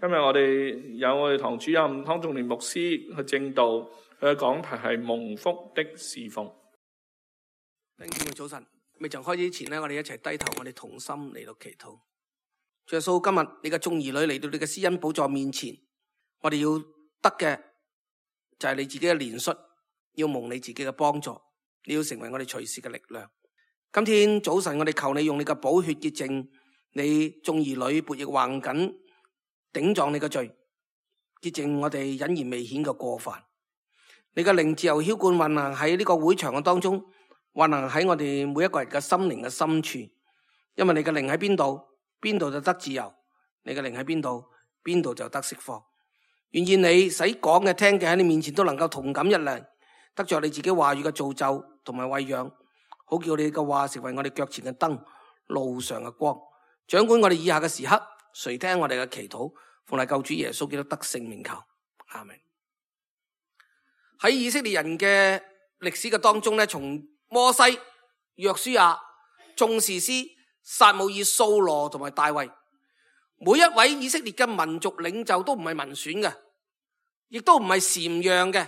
今日我哋堂主任湯仲年牧師去證道，佢嘅講題係蒙福的侍奉。弟兄姊妹早晨，未曾開始之前呢，我哋一齊低頭，我哋同心嚟到祈禱。主耶穌，今日你嘅眾兒女嚟到你嘅施恩寶座面前，我哋要得嘅就係你自己嘅憐恤，要蒙你自己嘅幫助，你要成為我哋隨時嘅力量。今天早晨我哋求你用你嘅寶血潔淨你眾兒女悖逆橫梗頂撞你嘅罪，潔淨我哋隱而未顯嘅過犯。你嘅靈自由澆灌運行喺呢個會場嘅當中，運行喺我哋每一個人嘅心靈嘅深處。因為你嘅靈喺邊度，邊度就得自由；你嘅靈喺邊度，邊度就得釋放。願意你使講嘅聽嘅喺你面前都能夠同感一靈，得着你自己話語嘅造就同埋餵養，好叫你嘅話成為我哋腳前嘅燈，路上嘅光。掌管我哋以下嘅時刻，垂聽我哋嘅祈禱，奉賴救主耶穌基督得聖名求，阿們。喺以色列人嘅歷史嘅當中咧，從摩西、約書亞、眾士師、撒母耳、掃羅同埋大衛，每一位以色列嘅民族領袖都唔係民選嘅，亦都唔係禪讓嘅，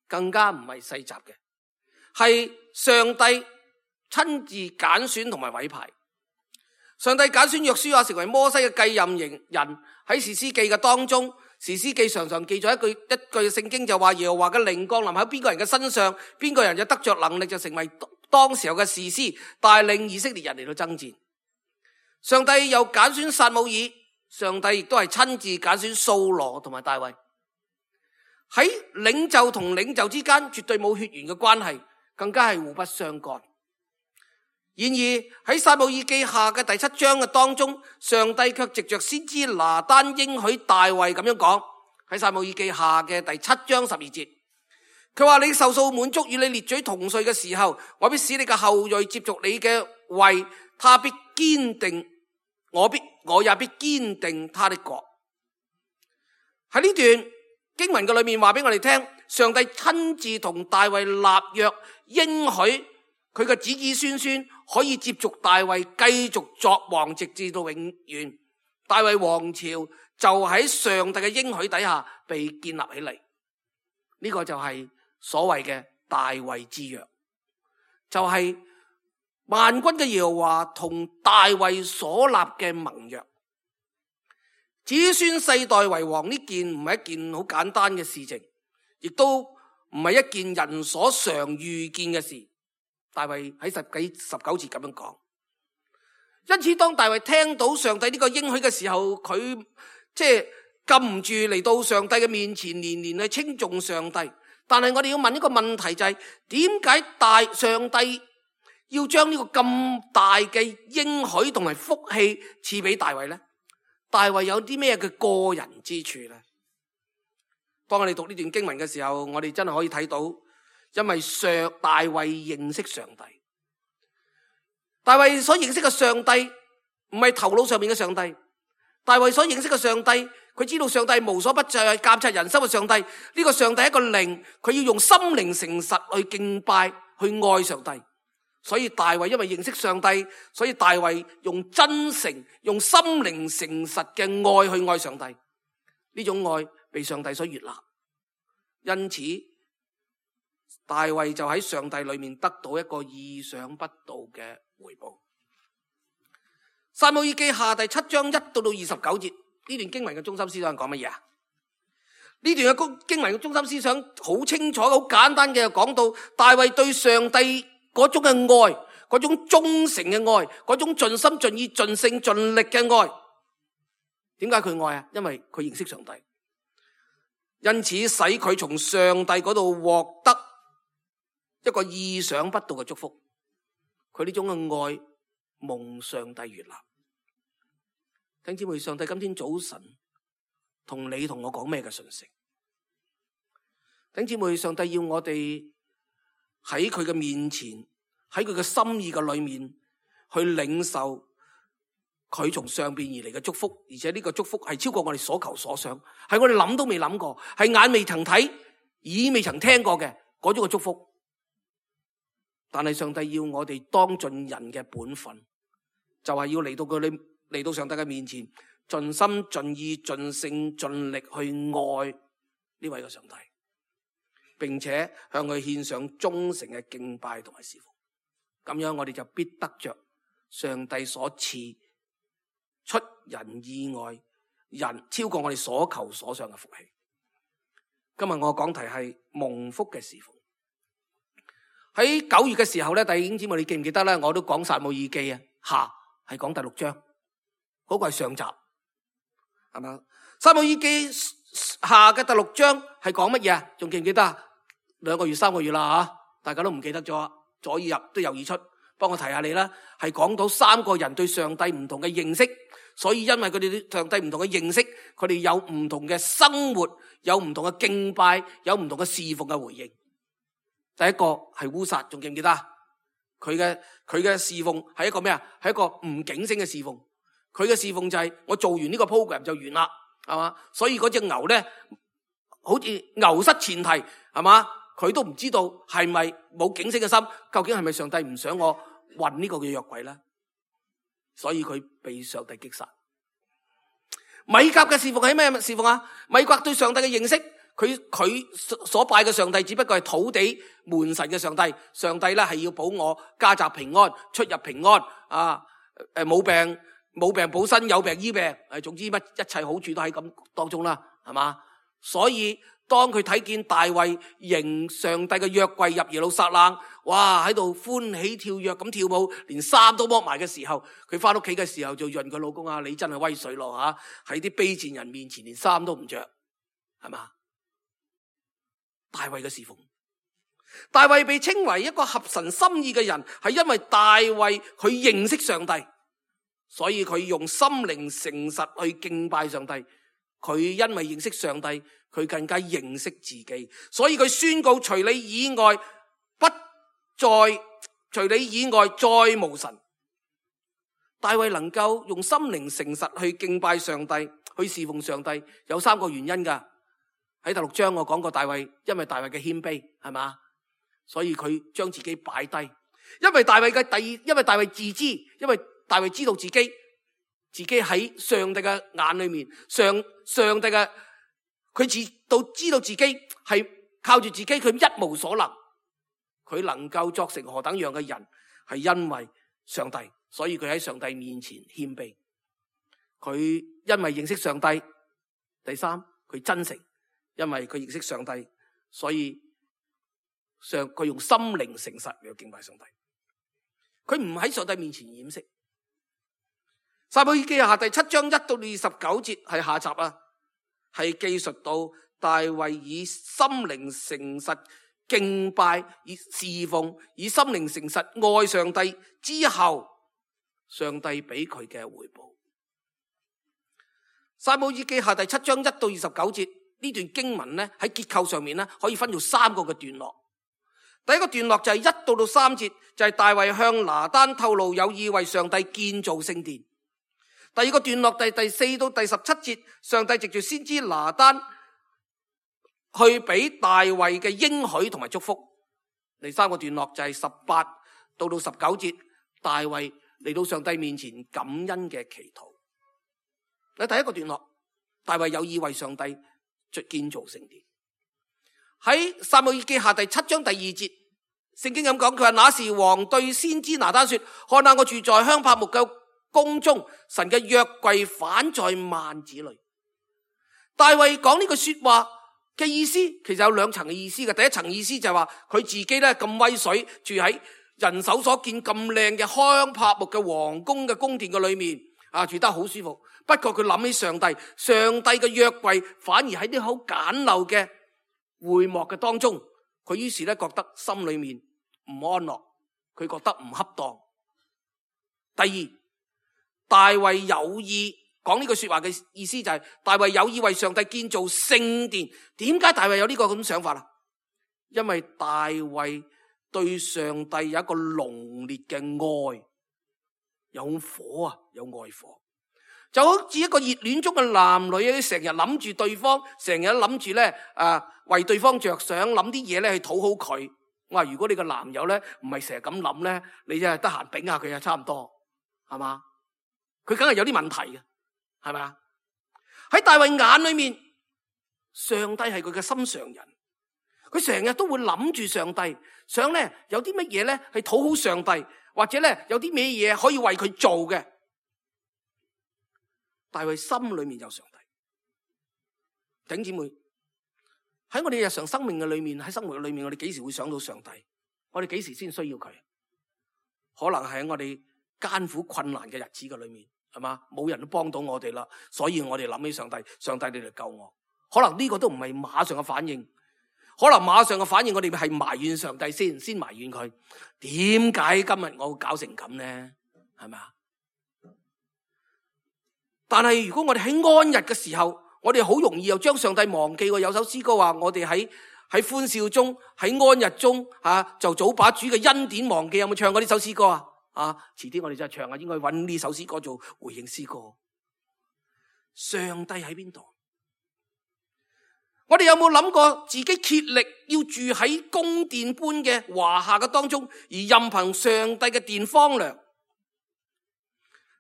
更加唔係世襲嘅，係上帝親自揀選同埋委派。上帝揀選約書亞成為摩西嘅繼任人。喺士師記嘅當中，士師記常常記咗一句聖經，就話耶和華嘅靈降臨喺邊個人嘅身上，邊個人就得着能力，就成為當時候嘅士師，帶領以色列人嚟到爭戰。上帝又揀選撒母耳，上帝亦都係親自揀選掃羅同埋大衛。喺領袖同領袖之間絕對冇血緣嘅關係，更加係互不相干。然而喺撒母耳記下嘅第7章嘅當中，上帝卻藉着先知拿單應許大衛咁樣講。喺撒母耳記下嘅第7章12節，佢話：你壽數滿足與你列祖同歲嘅時候，我必使你嘅後裔接續你嘅位，他必堅定，我也必堅定他的國。喺呢段經文嘅裏面話俾我哋聽，上帝親自同大衛立約，應許佢嘅子子孫孫可以接續大衛繼續作王，直至到永遠。大衛王朝就喺上帝嘅應許底下被建立起嚟。呢個就係所謂嘅大衛之約，就係萬軍嘅耶和華同大衛所立嘅盟約。子孫世代為王呢件唔係一件好簡單嘅事情，亦都唔係一件人所常遇見嘅事。大衛喺19節咁樣講。因此當大衛聽到上帝呢個應許嘅時候，佢禁唔住嚟到上帝嘅面前，年年去稱頌上帝。但係我哋要問一個問題，就係點解上帝要將呢個咁大嘅應許同埋福氣賜俾大衛呢？大衛有啲咩嘅個人之處呢？當我哋讀呢段經文嘅時候，我哋真係可以睇到，因為大衛認識上帝。大衛所認識嘅上帝唔係頭腦上面嘅上帝，大衛所認識嘅上帝，佢知道上帝無所不在，監察人心嘅上帝。呢個上帝係一個靈，佢要用心靈誠實去敬拜，去愛上帝。所以大衛因為認識上帝，所以大衛用真誠、用心靈誠實嘅愛去愛上帝。呢種愛被上帝所悅納，因此大衛就喺上帝裏面得到一個意想不到嘅回報。撒母耳記下第7章1到29節，呢段經文嘅中心思想係講乜嘢啊？呢段嘅經文嘅中心思想好清楚、好簡單嘅，講到大衛對上帝嗰種嘅愛，嗰種忠誠嘅愛，嗰種盡心盡意盡性盡力嘅愛。點解佢愛啊？因為佢認識上帝，因此使佢從上帝嗰度獲得一個意想不到嘅祝福。佢呢種嘅愛蒙上帝悅納。弟兄姊妹，上帝今天早晨同你同我講咩嘅信息？弟兄姊妹，上帝要我哋喺佢嘅面前，喺佢嘅心意嘅裏面去領受佢從上邊而嚟嘅祝福，而且呢個祝福係超過我哋所求所想，係我哋諗都未諗過，係眼未曾睇，耳未曾聽過嘅嗰種嘅祝福。但係上帝要我哋當盡人嘅本分，就係要嚟到上帝嘅面前，盡心盡意盡性盡力去愛呢位嘅上帝，並且向佢獻上忠誠嘅敬拜同埋侍奉。咁樣我哋就必得着上帝所賜出人意外、人超過我哋所求所想嘅福氣。今日我講題係蒙福嘅侍奉。喺9月嘅時候咧，弟兄姊妹你記唔記得咧？我都講撒母耳記啊，下係講第6章，嗰個係上集，係嘛？撒母耳記下嘅第6章係講乜嘢啊？仲記唔記得啊？2個月、3個月啦吓，大家都唔記得咗，左耳入都右耳出。幫我提下你啦，係講到3個人對上帝唔同嘅認識，所以因為佢哋對上帝唔同嘅認識，佢哋有唔同嘅生活，有唔同嘅敬拜，有唔同嘅侍奉嘅回應。第一個係烏撒，仲記唔記得？佢嘅侍奉係一個咩啊？係一個唔警醒嘅侍奉。佢嘅侍奉就係我做完呢個 program 就完啦，係嘛？所以嗰隻牛咧，好似牛失前蹄，係嘛？佢都唔知道係咪冇警醒嘅心，究竟係咪上帝唔想我運呢個嘅約櫃咧？所以佢被上帝擊殺。米甲嘅侍奉係咩侍奉啊？米甲對上帝嘅認識，佢所拜嘅上帝只不過係土地門神嘅上帝。上帝咧係要保我家宅平安，出入平安啊！冇病保身，有病醫病，總之乜一切好處都喺咁當中啦，係嘛？所以當佢睇見大衛迎上帝嘅約櫃入耶路撒冷，哇喺度歡喜跳躍咁跳舞，連衫都剝埋嘅時候，佢翻屋企嘅時候就潤佢老公啊，你真係威水咯吓！喺啲卑賤人面前連衫都唔着，係嘛？大衛嘅侍奉，大衛被稱為一個合神心意嘅人，係因為大衛佢認識上帝，所以佢用心靈誠實去敬拜上帝。佢因為認識上帝，佢更加認識自己，所以佢宣告除你以外再無神。大衛能夠用心靈誠實去敬拜上帝，去侍奉上帝，有3個原因噶。喺第6章我講過大衛，因為大衛嘅謙卑，係嘛？所以佢將自己擺低，因為大衛自知，因為大衛知道自己喺上帝嘅眼裏面，上帝嘅佢知道自己係靠住自己，佢一無所能，佢能夠作成何等樣嘅人，係因為上帝，所以佢喺上帝面前謙卑。佢因為認識上帝，第3佢真誠，因為佢認識上帝，所以佢用心靈誠實嚟敬拜上帝。佢唔喺上帝面前掩飾。撒母耳記下第7章1到29節係下集啊，係記述到大衛以心靈誠實敬拜，以侍奉，以心靈誠實愛上帝之後，上帝俾佢嘅回報。撒母耳記下第7章1到29節呢段經文咧，喺結構上面咧可以分做3個嘅段落。第一個段落就係1到3節，就係大衛向拿單透露有意為上帝建造聖殿。第二個段落第4到第17節，上帝藉住先知拿單去俾大衛嘅應許同埋祝福。第3個段落就係18到19節，大衛嚟到上帝面前感恩嘅祈禱。第一個段落，大衛有意為上帝建造聖殿。喺撒母耳記下第7章第2節，聖經咁講，佢話那時王對先知拿單說：看哪，我住在香柏木嘅宮中，神嘅約櫃反在幔子裏。大衛講呢句說話嘅意思，其實有2層嘅意思嘅。第一層意思就係話佢自己咧咁威水，住喺人手所見咁靚嘅香柏木嘅皇宮嘅宮殿嘅裏面啊，住得好舒服。不過佢諗起上帝嘅約櫃反而喺啲好簡陋嘅會幕嘅當中，佢於是咧覺得心裏面唔安樂，佢覺得唔恰當。第二，大衛有意講呢句說話嘅意思就係大衛有意為上帝建造聖殿。點解大衛有呢個咁想法啊？因為大衛對上帝有一個濃烈嘅愛，有火啊，有愛火，就好似一個熱戀中嘅男女，成日諗住對方，成日諗住咧為對方着想，諗啲嘢咧去討好佢。我話如果你個男友咧唔係成日咁諗咧，你真係得閒頂下佢啊，差唔多係嘛？佢梗係有啲問題嘅，係咪啊？喺大衛眼裏面，上帝係佢嘅心上人，佢成日都會諗住上帝，想咧有啲乜嘢咧係討好上帝，或者咧有啲咩嘢可以為佢做嘅。大衛心裏面有上帝。弟兄姊妹，喺我哋日常生命嘅裏面，喺生活嘅裏面，我哋幾時會想到上帝？我哋幾時先需要佢？可能係喺我哋艱苦困難嘅日子嘅裏面，係嘛？冇人都幫到我哋啦，所以我哋諗起上帝，上帝你嚟救我。可能呢個都唔係馬上嘅反應，可能馬上嘅反應我哋係埋怨上帝先埋怨佢。點解今日我會搞成咁呢？係咪啊？但係如果我哋喺安逸嘅時候，我哋好容易又將上帝忘記。有首詩歌話我哋喺歡笑中，喺安逸中就早把主嘅恩典忘記。有冇唱過呢首詩歌啊？遲啲我哋就唱啊，應該揾呢首詩歌做回應詩歌。上帝喺邊度？我哋有冇諗過自己竭力要住喺宮殿般嘅華夏嘅當中，而任憑上帝嘅殿荒涼？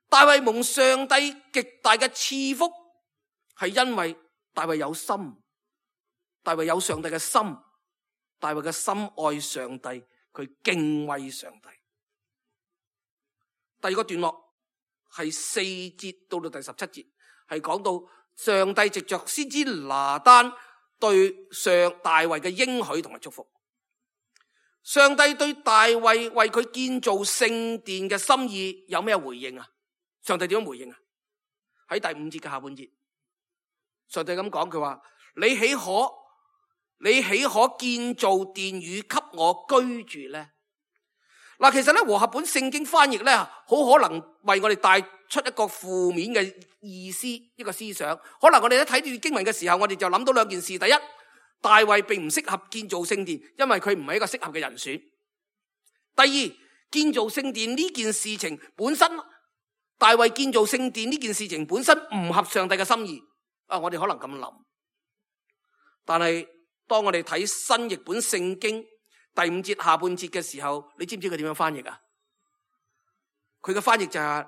大衛蒙上帝極大嘅賜福，係因為大衛有心，大衛有上帝嘅心，大衛嘅心愛上帝，佢敬畏上帝。第二個段落係4節到第17節，係講到上帝藉着先知拿單對大衛嘅應許同埋祝福。上帝對大衛為佢建造聖殿嘅心意有咩回應啊？上帝點樣回應啊？喺第5節嘅下半節，上帝咁講，佢話：你豈可建造殿宇給我居住呢？嗱，其實咧和合本聖經翻譯咧，好可能為我哋帶出一個負面嘅意思，一個思想。可能我哋喺睇住經文嘅時候，我哋就諗到兩件事。第一，大衛並唔適合建造聖殿，因為佢唔係一個適合嘅人選。第二，建造聖殿呢件事情本身，大衛建造聖殿呢件事情本身唔合上帝嘅心意。我哋可能咁諗，但係當我哋睇新譯本聖經第5節下半節嘅時候，你知唔知佢點樣翻譯啊？佢嘅翻譯就係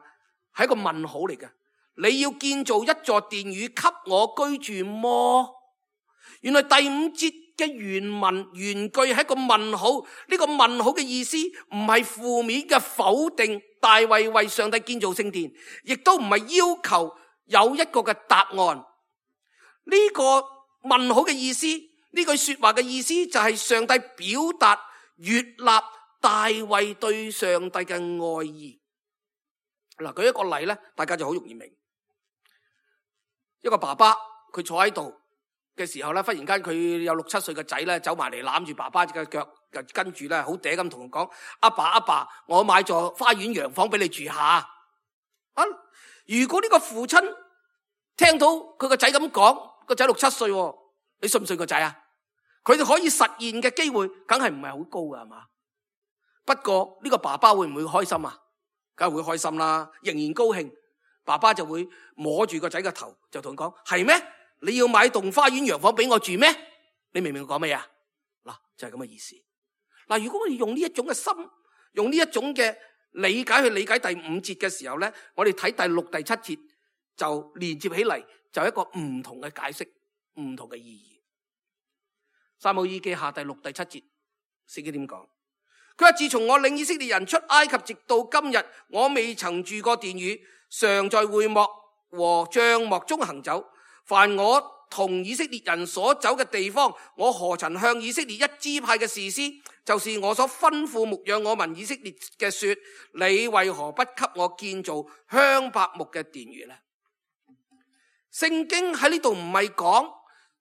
一個問號嚟嘅。你要建造一座殿宇給我居住麼？原來第5節嘅原句係一個問號。呢個問號嘅意思唔係負面嘅否定大衛為上帝建造聖殿，亦都唔係要求有一個嘅答案。呢個問號嘅意思，呢句說話嘅意思就係上帝表達悅納大衛對上帝嘅愛意。嗱，舉一個例咧，大家就好容易明。一個爸爸佢坐喺度嘅時候咧，忽然間佢有6、7歲嘅仔咧走埋嚟攬住爸爸嘅腳，跟住咧好嗲咁同佢講：阿爸，我買咗花園洋房俾你住下。如果呢個父親聽到佢個仔咁講，個仔6、7歲，你信唔信個仔啊？佢哋可以實現嘅機會，梗係唔係好高噶，係嘛？不過呢個爸爸會唔會開心啊？梗係會開心啦，仍然高興。爸爸就會摸住個仔嘅頭，就同佢講：係咩？你要買棟花園洋房俾我住咩？你明唔明我講咩啊？嗱，就係咁嘅意思。嗱，如果我哋用呢一種嘅心，用呢一種嘅理解去理解第5節嘅時候咧，我哋睇第6、第7節就連接起嚟，就一個唔同嘅解釋，唔同嘅意義。撒母耳記下第6、第7節，聖經點講？佢話：自從我領以色列人出埃及，直到今日，我未曾住過殿宇，常在會幕和帳幕中行走。凡我同以色列人所走嘅地方，我何曾向以色列一支派嘅士師，就是我所吩咐牧養我民以色列嘅說：你為何不給我建造香柏木嘅殿宇呢？聖經喺呢度唔係講，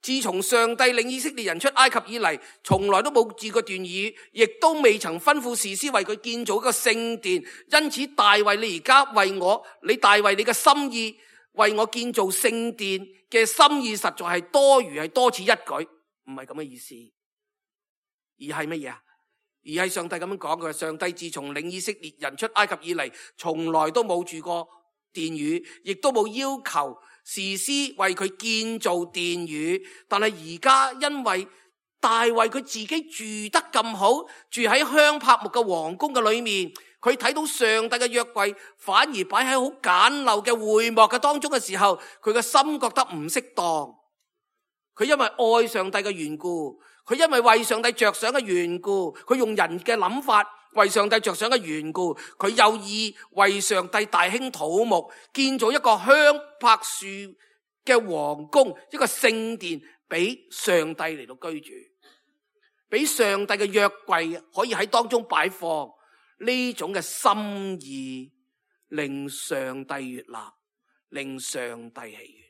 自從上帝領以色列人出埃及以嚟，從來都冇住過殿宇，亦都未曾吩咐士師為佢建造一個聖殿。因此大衛你而家為我，大衛你嘅心意為我建造聖殿嘅心意，實在係多餘，係多此一舉，唔係咁嘅意思。而係乜嘢啊？而係上帝咁樣講，佢話上帝自從領以色列人出埃及以嚟，從來都冇住過殿宇，亦都冇要求士師為佢建造殿宇。但係而家因為大衛佢自己住得咁好，住喺香柏木嘅皇宮嘅裏面，佢睇到上帝嘅約櫃反而擺喺好簡陋嘅會幕嘅當中嘅時候，佢嘅心覺得唔適當。佢因為愛上帝嘅緣故，佢因為為上帝着想嘅緣故，佢用人嘅諗法為上帝着想嘅緣故，佢有意為上帝大興土木，建造一個香柏樹嘅皇宮，一個聖殿俾上帝嚟到居住，俾上帝嘅約櫃可以喺當中擺放。呢種嘅心意令上帝悅納，令上帝喜悅。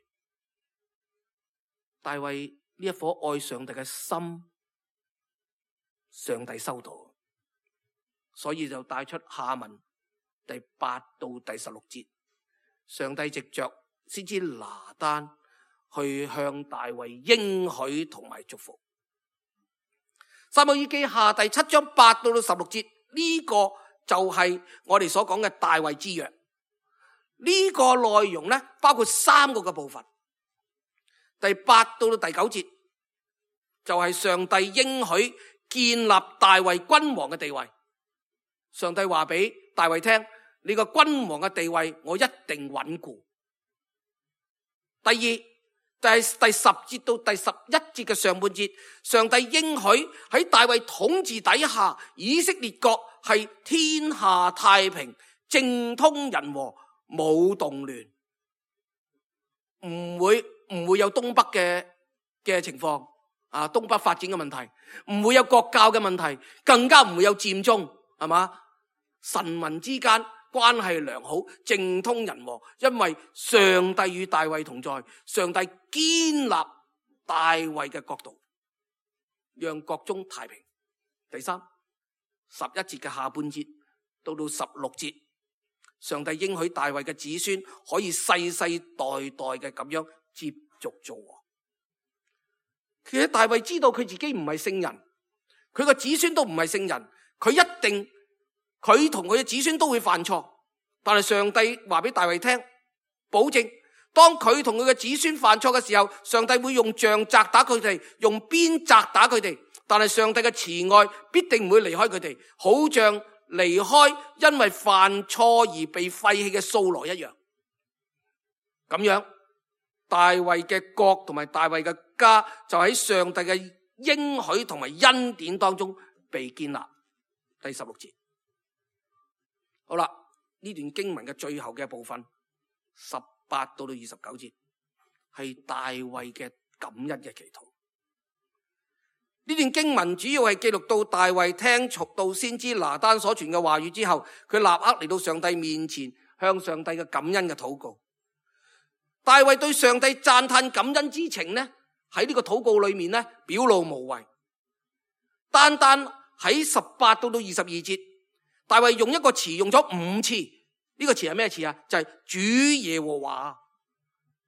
大衛呢一顆愛上帝嘅心，上帝收到，所以就帶出下文第8到第16節，上帝藉着先知拿單去向大衛應許同埋祝福。撒母耳記下第7章8到16節，呢個就係我哋所講嘅大衛之約。呢個內容呢，包括3個嘅部分。第8到第9節就係上帝應許建立大衛君王嘅地位。上帝話俾大衛聽，你個君王嘅地位我一定穩固。第二就係第10節到第11節嘅上半節，上帝應許喺大衛統治底下，以色列國係天下太平，政通人和，冇動亂，唔會有東北嘅情況啊，東北發展嘅問題，唔會有國教嘅問題，更加唔會有佔中，係嘛？臣民之間關係良好，政通人和，因為上帝與大衛同在，上帝堅立大衛嘅國度，讓國中太平。第3 11節嘅下半節到16節，上帝應許大衛嘅子孫可以世世代代嘅咁樣接續做王。其實大衛知道佢自己唔係聖人，佢個子孫都唔係聖人，佢同佢嘅子孫都會犯錯，但係上帝話俾大衛聽，保證當佢同佢嘅子孫犯錯嘅時候，上帝會用杖責打佢哋，用鞭責打佢哋，但係上帝嘅慈愛必定唔會離開佢哋，好像離開因為犯錯而被廢棄嘅掃羅一樣。咁樣大衛嘅國同埋大衛嘅家就喺上帝嘅應許同埋恩典當中被建立。第16節，好啦，呢段經文嘅最後嘅部分18到29節係大衛嘅感恩嘅祈禱。呢段經文主要係記錄到大衛聽從到先知拿單所傳嘅話語之後，佢立刻嚟到上帝面前，向上帝嘅感恩嘅禱告。大衛對上帝讚嘆感恩之情呢，喺呢個禱告裏面呢，表露無遺。單單喺18到22節，大衛用一個詞用咗5次，呢個詞係咩詞啊？就係主耶和華，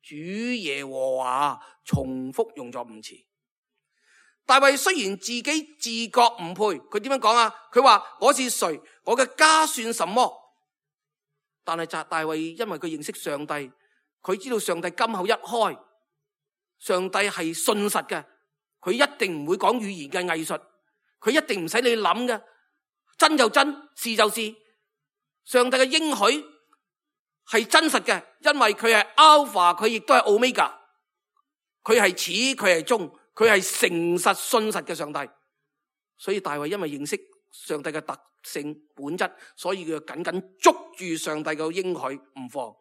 主耶和華，重複用咗5次。大衛雖然自己自覺唔配，佢點樣講啊？佢話我是誰，我嘅家算什麼？但係大衛因為佢認識上帝，佢知道上帝金口一開，上帝係信實嘅，佢一定唔會講語言嘅藝術，佢一定唔使你諗嘅，真就真，是就是。上帝嘅應許係真實嘅，因為佢係 Alpha， 佢亦都係 Omega， 佢係始，佢係終，佢係誠實信實嘅上帝。所以大衛因為認識上帝嘅特性本質，所以佢緊緊捉住上帝嘅應許唔放。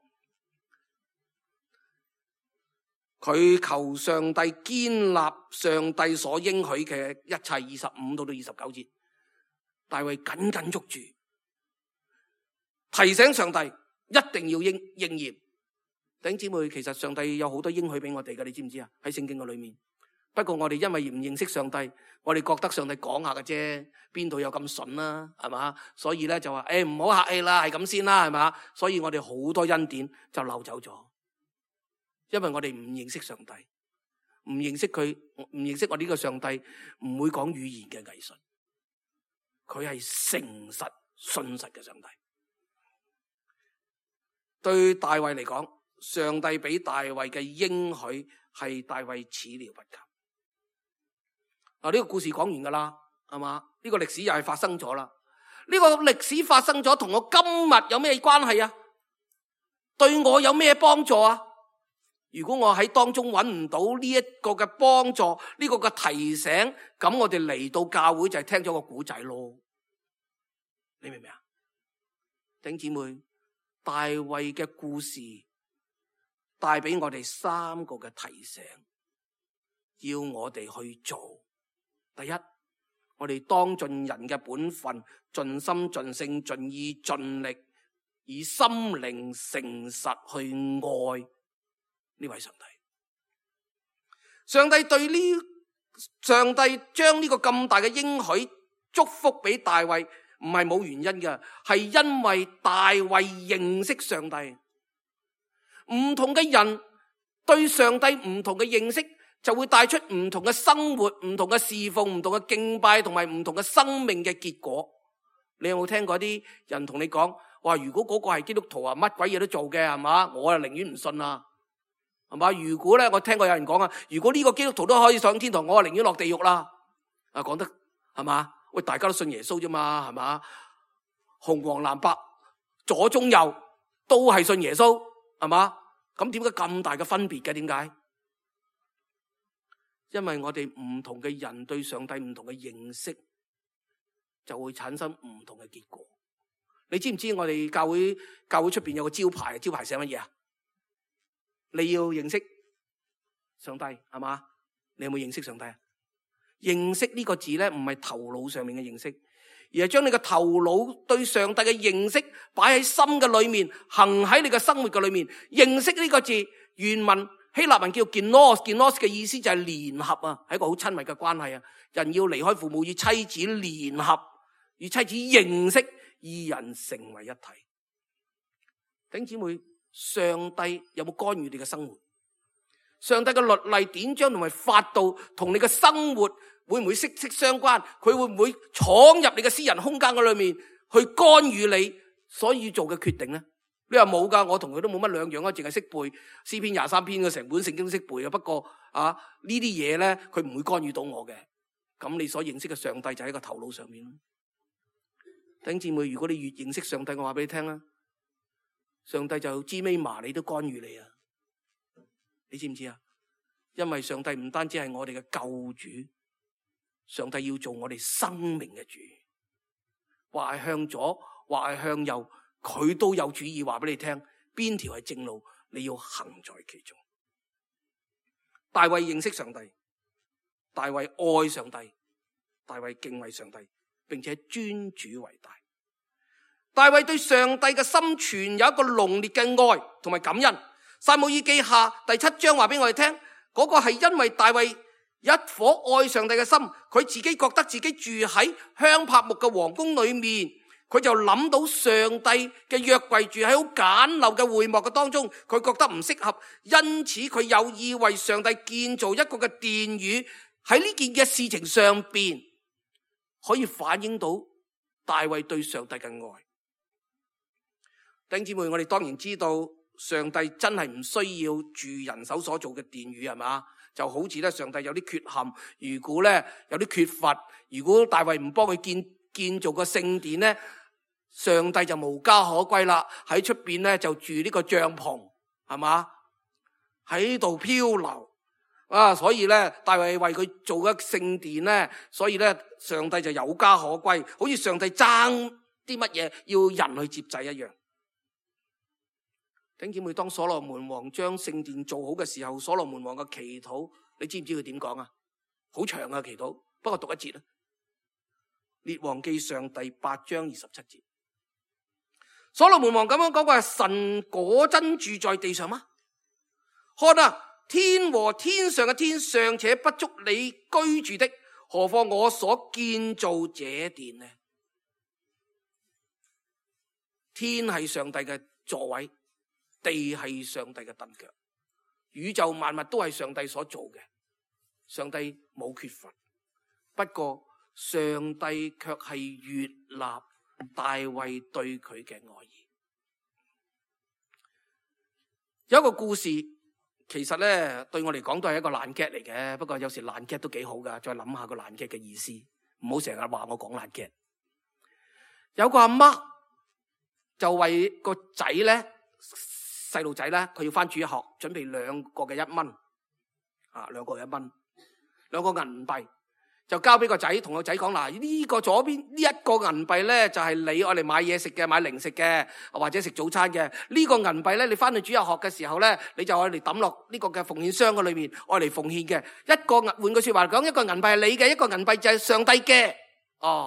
佢求上帝堅立上帝所應許嘅一切25到29節，大衛緊緊捉住，提醒上帝一定要應驗。弟兄姊妹，其實上帝有好多應許俾我哋嘅，你知唔知啊？喺聖經嘅裏面，不過我哋因為唔認識上帝，我哋覺得上帝講下嘅啫，邊度有咁筍啦，係嘛？所以咧就話唔好客氣啦，係咁先啦，係嘛？所以我哋好多恩典就漏走咗。因為我哋唔認識上帝，唔認識佢，唔認識我呢個上帝，唔會講語言嘅藝術。佢係誠實信實嘅上帝。對大衛嚟講，上帝俾大衛嘅應許係大衛始料不及。嗱，呢個故事講完噶啦，係嘛？呢個歷史又係發生咗啦。呢個歷史發生咗，同我今日有咩關係啊？對我有咩幫助啊？如果我喺當中揾唔到呢一個嘅幫助，呢個嘅提醒，咁我哋嚟到教會就係聽咗個古仔咯。你明唔明啊？弟兄姊妹，大衛嘅故事帶俾我哋3個嘅提醒，要我哋去做。第一，我哋當盡人嘅本分，盡心盡性盡意盡力，以心靈誠實去愛呢位上帝。上帝將呢個咁大嘅應許祝福俾大衛，唔係冇原因嘅，係因為大衛認識上帝。唔同嘅人對上帝唔同嘅認識，就會帶出唔同嘅生活、唔同嘅侍奉、唔同嘅敬拜同埋唔同嘅生命嘅結果。你有冇聽過啲人同你講話，如果嗰個係基督徒啊，乜鬼嘢都做嘅，係嘛？我啊寧願唔信啦，係嘛？如果咧，我聽過有人講啊，如果呢個基督徒都可以上天堂，我啊寧願落地獄啦。啊，講得係嘛？喂，大家都信耶穌啫嘛，係嘛？紅黃藍白左中右都係信耶穌，係嘛？咁點解咁大嘅分別嘅？點解？因為我哋唔同嘅人對上帝唔同嘅認識，就會產生唔同嘅結果。你知唔知我哋教會出邊有個招牌？招牌寫乜嘢啊？你要認識上帝，係嘛？你有冇認識上帝啊？認識呢個字咧，唔係頭腦上面嘅認識，而係將你個頭腦對上帝嘅認識擺喺心嘅裏面，行喺你嘅生活嘅裏面。認識呢個字原文希臘文叫 genos 嘅意思就係聯合啊，係一個好親密嘅關係啊。人要離開父母與妻子聯合，與妻子認識，二人成為一體。弟兄姊妹，上帝有冇干預你嘅生活？上帝嘅律例典章同埋法度同你嘅生活會唔會息息相關？佢會唔會闖入你嘅私人空間嘅裏面去干預你所以做嘅決定呢？你話冇噶，我同佢都冇乜兩樣啊，淨係識背詩篇23篇嘅成本聖經都識背啊。不過啊，呢啲嘢咧，佢唔會干預到我嘅。咁你所認識嘅上帝就喺個頭腦上面。弟兄姊妹，如果你越認識上帝，我話俾你聽啦，上帝就知尾麻你都干預你啊！你知唔知啊？因為上帝唔單止係我哋嘅救主，上帝要做我哋生命嘅主，話係向左，話係向右，佢都有主意話俾你聽，邊條係正路，你要行在其中。大衛認識上帝，大衛愛上帝，大衛敬畏上帝，並且尊主為大。大衛對上帝嘅心存有一個濃烈嘅愛同埋感恩。撒母耳記下第7章話俾我哋聽，嗰個係因為大衛一顆愛上帝嘅心，佢自己覺得自己住喺香柏木嘅皇宮裏面，佢就諗到上帝嘅約櫃住喺好簡陋嘅會幕嘅當中，佢覺得唔適合，因此佢有意為上帝建造一個嘅殿宇。喺呢件嘅事情上邊，可以反映到大衛對上帝嘅愛。弟兄姊妹，我哋當然知道上帝真係唔需要住人手所做嘅殿宇，係嘛？就好似咧，上帝有啲缺陷，如果咧有啲缺乏，如果大衛唔幫佢建造個聖殿咧，上帝就無家可歸啦。喺出邊咧就住呢個帳篷，係嘛？喺度漂流啊！所以咧，大衛為佢做咗聖殿咧，所以咧上帝就有家可歸，好似上帝爭啲乜嘢要人去接濟一樣。弟兄姊妹，當所羅門王將聖殿做好嘅時候，所羅門王嘅祈禱，你知唔知佢點講啊？好長嘅祈禱，不過讀一節啦。列王記上第8章27節，所羅門王咁樣講話：神果真住在地上嗎？看啊，天和天上嘅天尚且不足你居住的，何況我所建造這殿呢？天係上帝嘅座位，地係上帝嘅凳腳，宇宙萬物都係上帝所做嘅，上帝冇缺乏。不過上帝卻係悅納大衛對佢嘅愛意。有一個故事，其實咧對我嚟講都係一個爛劇嚟嘅，不過有時爛劇都幾好噶。再諗下個爛劇嘅意思，唔好成日話我講爛劇。有個阿媽就為個仔咧，細路仔咧，佢要翻主日學，準備2個嘅1蚊，2個1蚊，2個銀幣，就交俾個仔，同個仔講嗱，呢個左邊呢1個銀幣咧，就係你愛嚟買嘢食嘅，買零食嘅，或者食早餐嘅。呢個銀幣咧，你翻去主日學嘅時候咧，你就愛嚟抌落呢個嘅奉獻箱嘅裏面，愛嚟奉獻嘅。換句說話講，1個銀幣係你嘅，1個銀幣就係上帝嘅。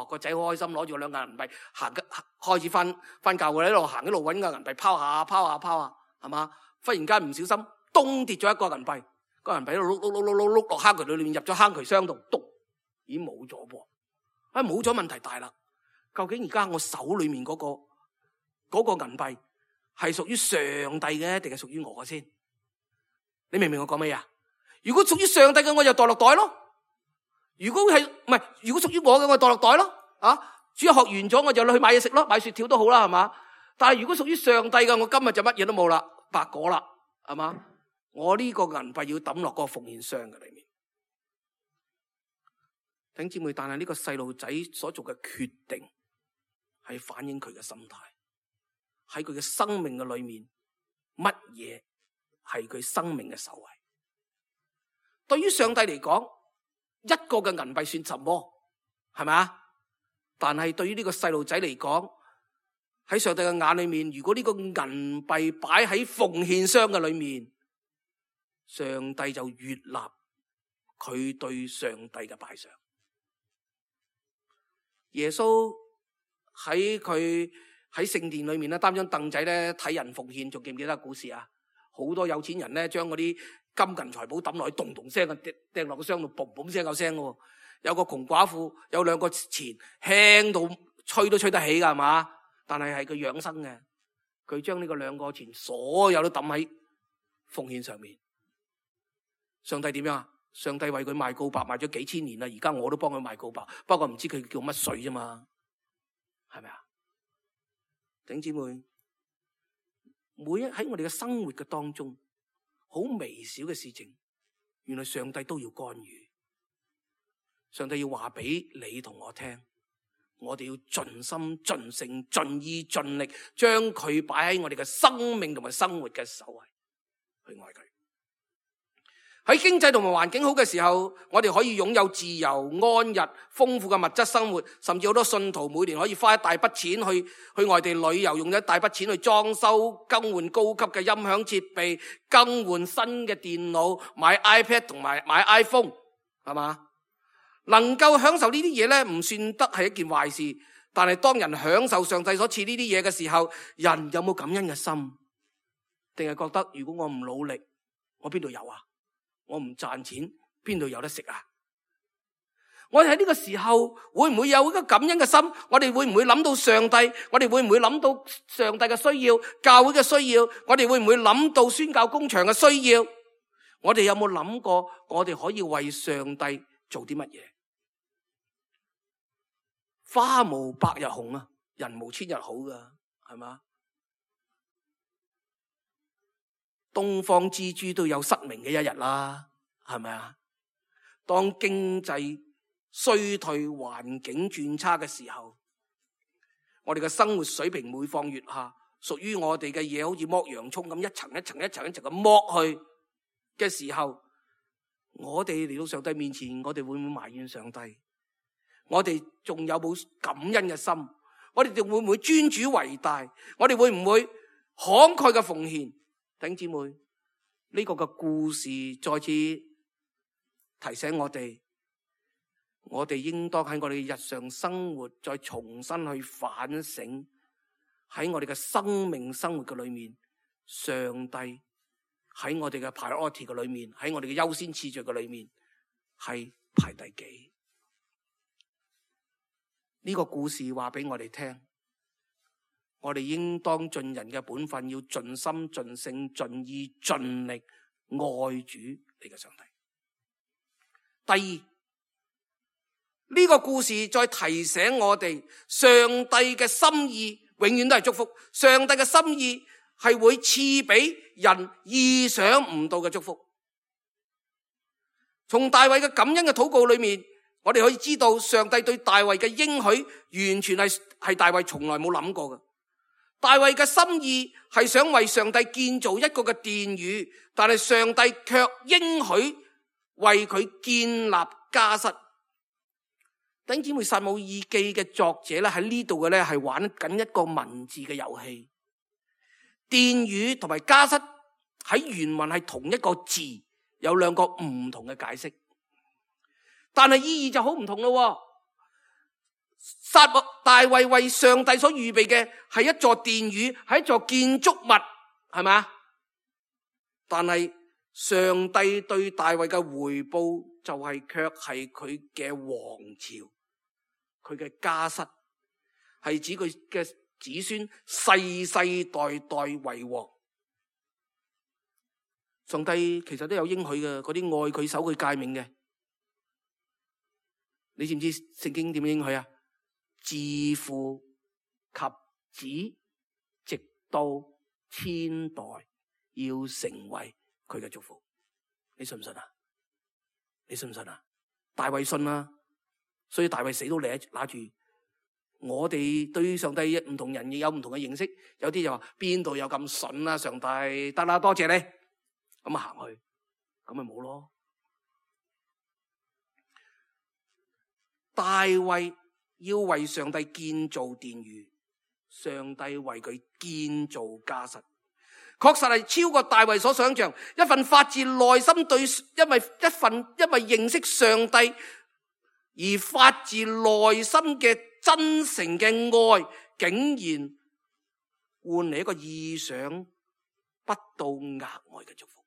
個仔好開心，攞住2個銀幣開始翻教會，一路行一路揾個銀幣拋下，係嘛？忽然間唔小心，咚跌咗1個銀幣，個銀幣喺度碌落坑渠裏面，入咗坑渠箱度，篤已經冇咗噃。冇咗問題大啦。究竟而家我手裏面嗰個銀幣係屬於上帝嘅，定係屬於我嘅先？你明唔明我講咩啊？如果屬於上帝嘅，我就袋落袋咯。如果屬於我嘅，我袋落袋咯。主日學完咗，我就去買嘢食咯，買雪條都好啦，係嘛？但係如果屬於上帝嘅，我今日就乜嘢都冇啦，白果啦，係嘛？我呢個銀幣要抌落個奉獻箱嘅裏面。弟兄姊妹，但係呢個細路仔所做嘅決定係反映佢嘅心態，喺佢嘅生命嘅裏面，乜嘢係佢生命嘅首位？對於上帝嚟講，1個嘅銀幣算什麼？係咪啊？但係對於呢個細路仔嚟講，喺上帝嘅眼裏面，如果呢個銀幣擺喺奉獻箱嘅裏面，上帝就悅納佢對上帝嘅擺上。耶穌喺聖殿裏面咧，擔張凳仔咧睇人奉獻，仲記唔記得個故事啊？好多有錢人咧將嗰啲金銀財寶抌落去，咚咚聲掟落個箱度，嘣嘣聲有聲嘅。有個窮寡婦有2個錢，輕到吹都吹得起噶，係嘛？但係佢養生嘅，佢將呢個2個錢所有都抌喺奉獻上面。上帝點樣啊？上帝為佢賣告白，賣咗幾千年啦，而家我都幫佢賣告白，不過唔知佢叫乜水啫嘛，係咪啊？弟兄姊妹，喺我哋嘅生活嘅當中，好微小嘅事情，原來上帝都要干預。上帝要話俾你同我聽，我哋要盡心盡性盡意盡力，將佢擺喺我哋嘅生命同埋生活嘅首位，去愛佢。喺經濟同埋環境好嘅時候，我哋可以擁有自由、安逸、豐富嘅物質生活，甚至好多信徒每年可以花一大筆錢去外地旅遊，用一大筆錢去裝修、更換高級嘅音響設備，更換新嘅電腦，買 iPad 同埋買 iPhone， 係嘛？能夠享受呢啲嘢咧，唔算得係一件壞事。但係當人享受上帝所賜呢啲嘢嘅時候，人有冇感恩嘅心？定係覺得如果我唔努力，我邊度有啊？我唔賺錢，邊度有得食啊？我哋喺呢個時候會唔會有一個感恩嘅心？我哋會唔會諗到上帝？我哋會唔會諗到上帝嘅需要、教會嘅需要？我哋會唔會諗到宣教工場嘅需要？我哋有冇諗過我哋可以為上帝做啲乜嘢？花無百日紅啊，人無千日好噶，係嘛？東方之珠都有失明嘅一日啦，係咪啊？當經濟衰退、環境轉差嘅時候，我哋嘅生活水平每況愈下，屬於我哋嘅嘢好似剝洋蔥咁，一層一層一層一層咁剝去嘅時候，我哋嚟到上帝面前，我哋會唔會埋怨上帝？我哋仲有冇感恩嘅心？我哋仲會唔會尊主為大？我哋會唔會慷慨嘅奉獻？弟兄姊妹，呢個嘅故事再次提醒我哋，我哋應當喺我哋日常生活再重新去反省，喺我哋嘅生命生活嘅裏面，上帝喺我哋嘅 priority 嘅裏面，喺我哋嘅優先次序嘅裏面係排第幾？呢個故事話俾我哋聽，我哋應當盡人嘅本分，要盡心盡性盡意盡力愛主你嘅上帝。第二，呢個故事再提醒我哋，上帝嘅心意永遠都係祝福，上帝嘅心意係會賜俾人意想唔到嘅祝福。從大衛嘅感恩嘅禱告裏面，我哋可以知道上帝對大衛嘅應許完全係大衛從來冇諗過嘅。大衛嘅心意係想為上帝建造一個嘅殿宇，但係上帝卻應許為佢建立家室。弟兄姊妹，撒母耳記嘅作者咧喺呢度嘅咧係玩緊一個文字嘅遊戲。殿宇同埋家室喺原文係同一個字，有兩個唔同嘅解釋，但係意義就好唔同咯。大衛為上帝所預備嘅係一座殿宇，係一座建築物，係咪？但係上帝對大衛嘅回報就係卻係佢嘅王朝，佢嘅家室，係指佢嘅子孫世世代代為王。上帝其實都有應許嘅，嗰啲愛佢守佢誡命嘅，你知唔知聖經點應許啊？自父及子，直到千代，要成為佢嘅祝福。你信唔信啊？你信唔信啊？大衛信啊，所以大衛死都拿住。我哋對上帝唔同人亦有唔同嘅認識，有啲就話邊度有咁筍啊？上帝得啦，多謝你，咁啊行去，咁咪冇咯。大衛要為上帝建造殿宇，上帝為佢建造家室，確實係超過大衛所想象。一份發自內心因為認識上帝而發自內心嘅真誠嘅愛，竟然換嚟一個意想不到額外嘅祝福。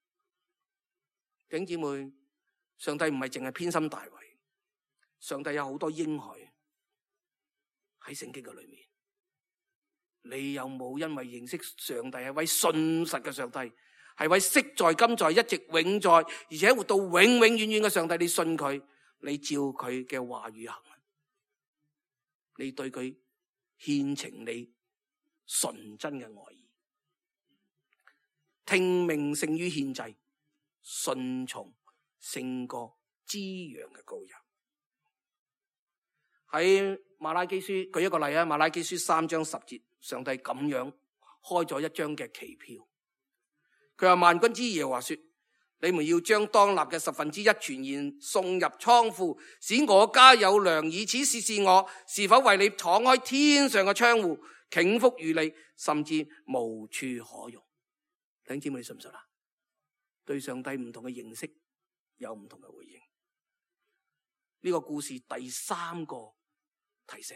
弟兄姊妹，上帝唔係淨係偏心大衛，上帝有好多應許喺聖經嘅裏面。你有冇因為認識上帝係位信實嘅上帝，係位昔在今在一直永在，而且活到永永遠遠嘅上帝，你信佢，你照佢嘅話語行，你對佢獻呈你純真嘅愛意。聽命勝於獻祭，順從勝過滋養嘅羔羊。喺馬拉基書舉一個例啊，馬拉基書3章10節，上帝咁樣開咗一張嘅期票。佢話，萬軍之耶和華說，你們要將當納嘅1/10全然送入倉庫，使我家有糧，以此試試我是否為你敞開天上嘅窗戶，傾福與你，甚至無處可容。弟兄姊妹，你信唔信啊？對上帝唔同嘅認識有唔同嘅回應。呢個故事第3個提醒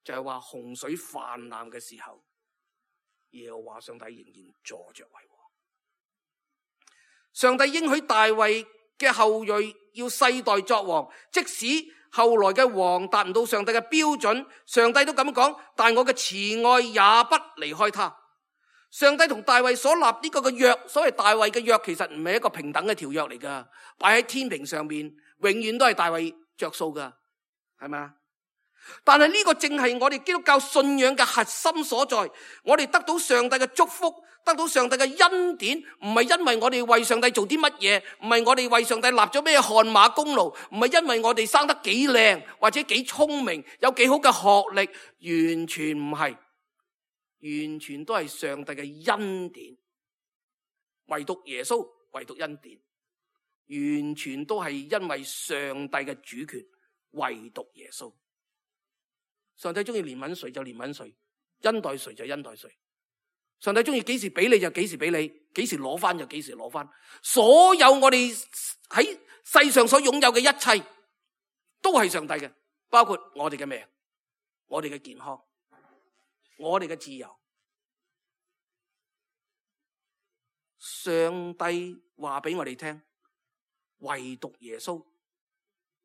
就係話，洪水泛濫嘅時候，耶和華上帝仍然坐着為王。上帝應許大衛嘅後裔要世代作王，即使後來嘅王達唔到上帝嘅標準，上帝都咁講，但我嘅慈愛也不離開他。上帝同大衛所立呢個嘅約，所謂大衛嘅約，其實唔係一個平等嘅條約嚟噶，擺喺天平上面，永遠都係大衛着數噶，係咪啊？但係呢個正係我哋基督教信仰嘅核心所在。我哋得到上帝嘅祝福，得到上帝嘅恩典，唔係因為我哋為上帝做啲乜嘢，唔係我哋為上帝立咗咩汗馬功勞，唔係因為我哋生得幾靚或者幾聰明，有幾好嘅學歷，完全唔係，完全都係上帝嘅恩典。唯獨耶穌，唯獨恩典，完全都係因為上帝嘅主權，唯獨耶穌。上帝中意憐憫誰就憐憫誰，恩待誰就恩待誰。上帝中意幾時俾你就幾時俾你，幾時攞翻就幾時攞翻。所有我哋喺世上所擁有嘅一切都係上帝嘅，包括我哋嘅命、我哋嘅健康、我哋嘅自由。上帝話俾我哋聽，唯獨耶穌，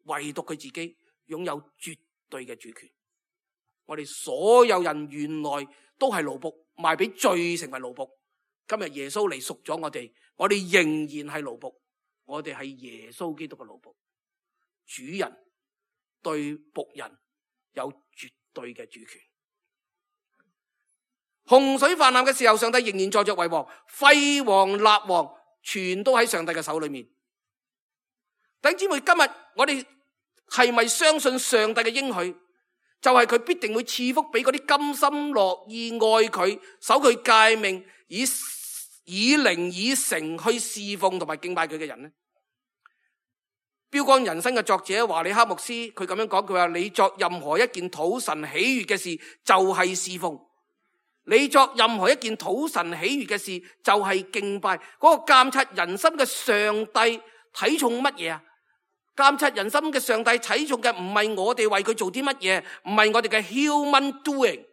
唯獨佢自己擁有絕對嘅主權。我哋所有人原來都係奴僕，賣俾罪成為奴僕。今日耶穌嚟贖咗我哋，我哋仍然係奴僕，我哋係耶穌基督嘅奴僕。主人對僕人有絕對嘅主權。洪水泛濫嘅時候，上帝仍然坐着為王，廢王立王，全都喺上帝嘅手裏面。弟兄姊妹，今日我哋係咪相信上帝嘅應許？就係佢必定會賜福俾嗰啲甘心樂意愛佢、守佢誡命、以靈以誠去侍奉同埋敬拜佢嘅人呢？標竿人生嘅作者華理克牧師佢咁樣講，佢話你作任何一件討神喜悅嘅事就係侍奉，你作任何一件討神喜悅嘅事就係敬拜。嗰個監察人心嘅上帝睇重乜嘢啊？監察人心嘅上帝睇重嘅唔係我哋為佢做啲乜嘢，唔係我哋嘅 human doing。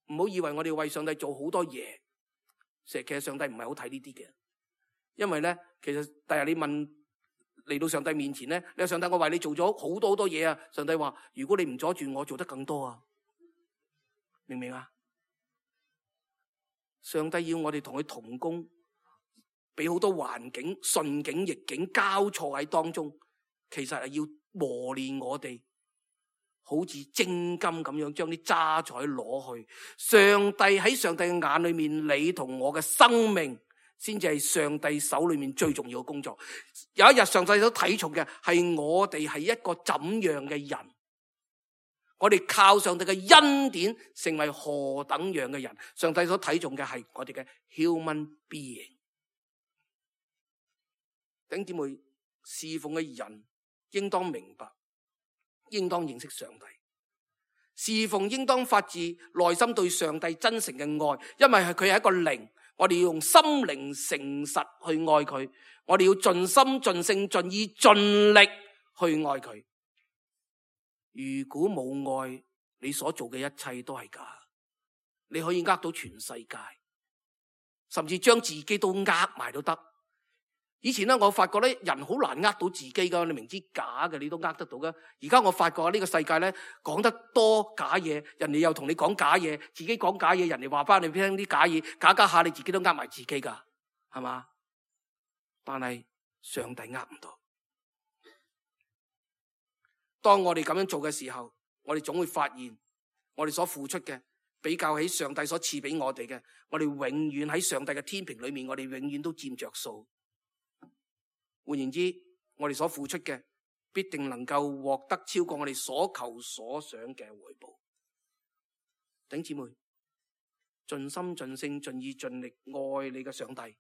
唔好以為我哋為上帝做好多嘢，其實上帝唔係好睇呢啲嘅。因為咧，其實第日你問嚟到上帝面前咧，你話上帝，我為你做咗好多好多嘢啊！上帝話：如果你唔阻住我，做得更多啊！明唔明啊？上帝要我哋同佢同工。俾好多環境、順境、逆境交錯喺當中，其實係要磨練我哋，好似精金咁樣將啲渣滓攞去。上帝喺上帝嘅眼裏面，你同我嘅生命先至係上帝手裏面最重要嘅工作。有一日上帝都睇重嘅係我哋係一個怎樣嘅人，我哋靠上帝嘅恩典成為何等樣嘅人。上帝所睇重嘅係我哋嘅 human being。弟兄姊妹，侍奉嘅人應當明白，應當認識上帝。侍奉應當發自內心對上帝真誠嘅愛，因為佢係一個靈，我哋要用心靈誠實去愛佢，我哋要盡心盡性盡意盡力去愛佢。如果冇愛，你所做嘅一切都係假，你可以呃到全世界，甚至將自己都呃埋都得。以前咧，我發覺咧，人好難呃到自己噶，你明知假嘅，你都呃得到噶。而家我發覺呢個世界咧，講得多假嘢，人哋又同你講假嘢，自己講假嘢，人哋話翻你聽啲假嘢，假下你自己都呃埋自己噶，係嘛？但係上帝呃唔到。當我哋咁樣做嘅時候，我哋總會發現，我哋所付出嘅比較起上帝所賜俾我哋嘅，我哋永遠喺上帝嘅天平裏面，我哋永遠都佔着數。換言之，我哋所付出嘅必定能夠獲得超過我哋所求所想嘅回報。弟兄姊妹，盡心盡性盡意盡力愛你嘅上帝，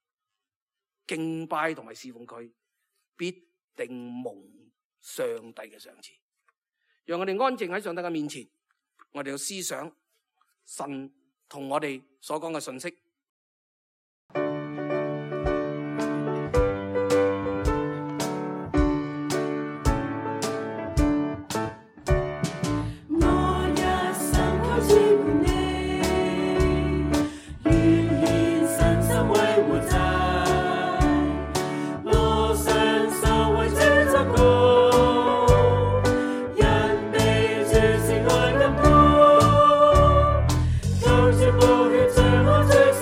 敬拜同埋侍奉佢，必定蒙上帝嘅賞賜。讓我哋安靜喺上帝嘅面前，我哋要思想神同我哋所講嘅信息。最後最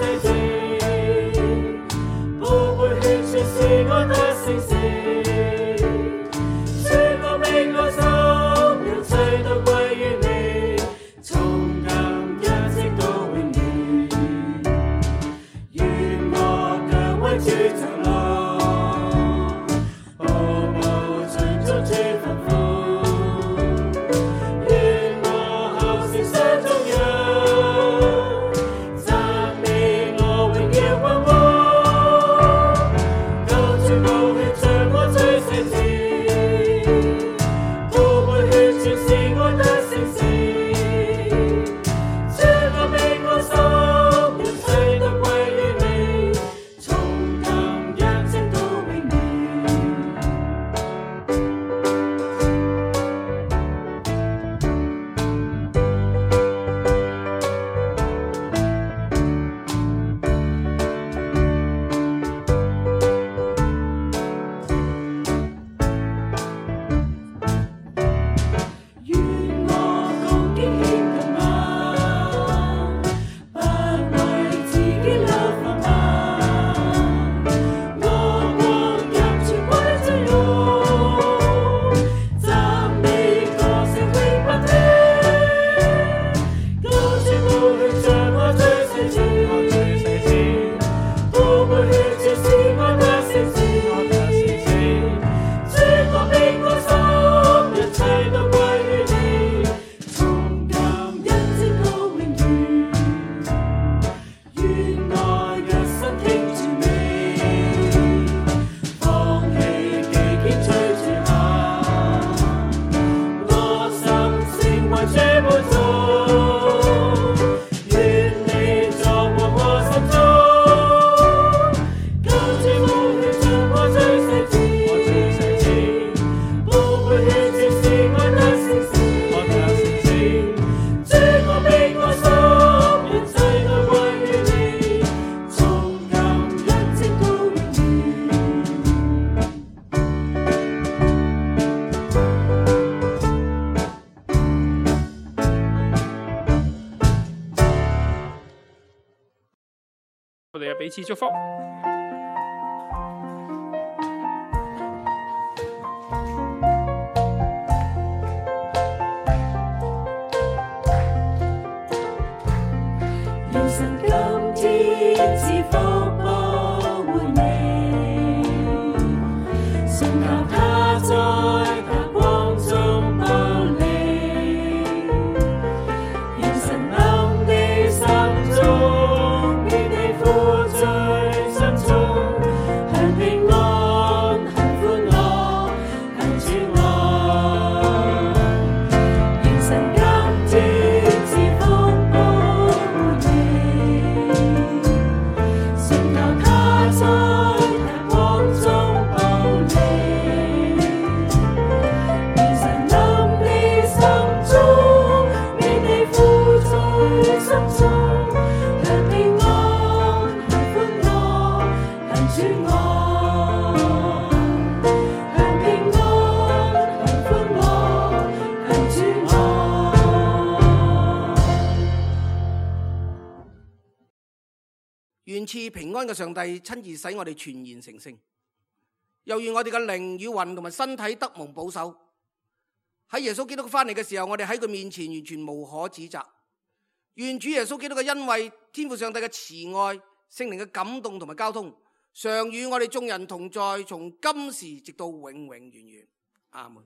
彼此祝福。願神今天賜福保護你，信靠他在他光中保你。願神臨你心中，免你負罪深重，享平安，享歡樂，享主愛。願神今天賜福保護你，信靠他在他光中保你。願神臨你心中，免你負罪深重，享平安，享歡樂，享主愛。享平安，享歡樂，享主愛。願賜平安嘅上帝親自使我哋全然成聖，又願我哋嘅靈與魂同埋身體得蒙保守。喺耶穌基督翻嚟嘅時候，我哋喺佢面前完全無可指責。願主耶穌基督嘅恩惠、天父上帝嘅慈愛、聖靈嘅感動同埋交通，常與我哋眾人同在，從今時直到永永遠遠。阿門。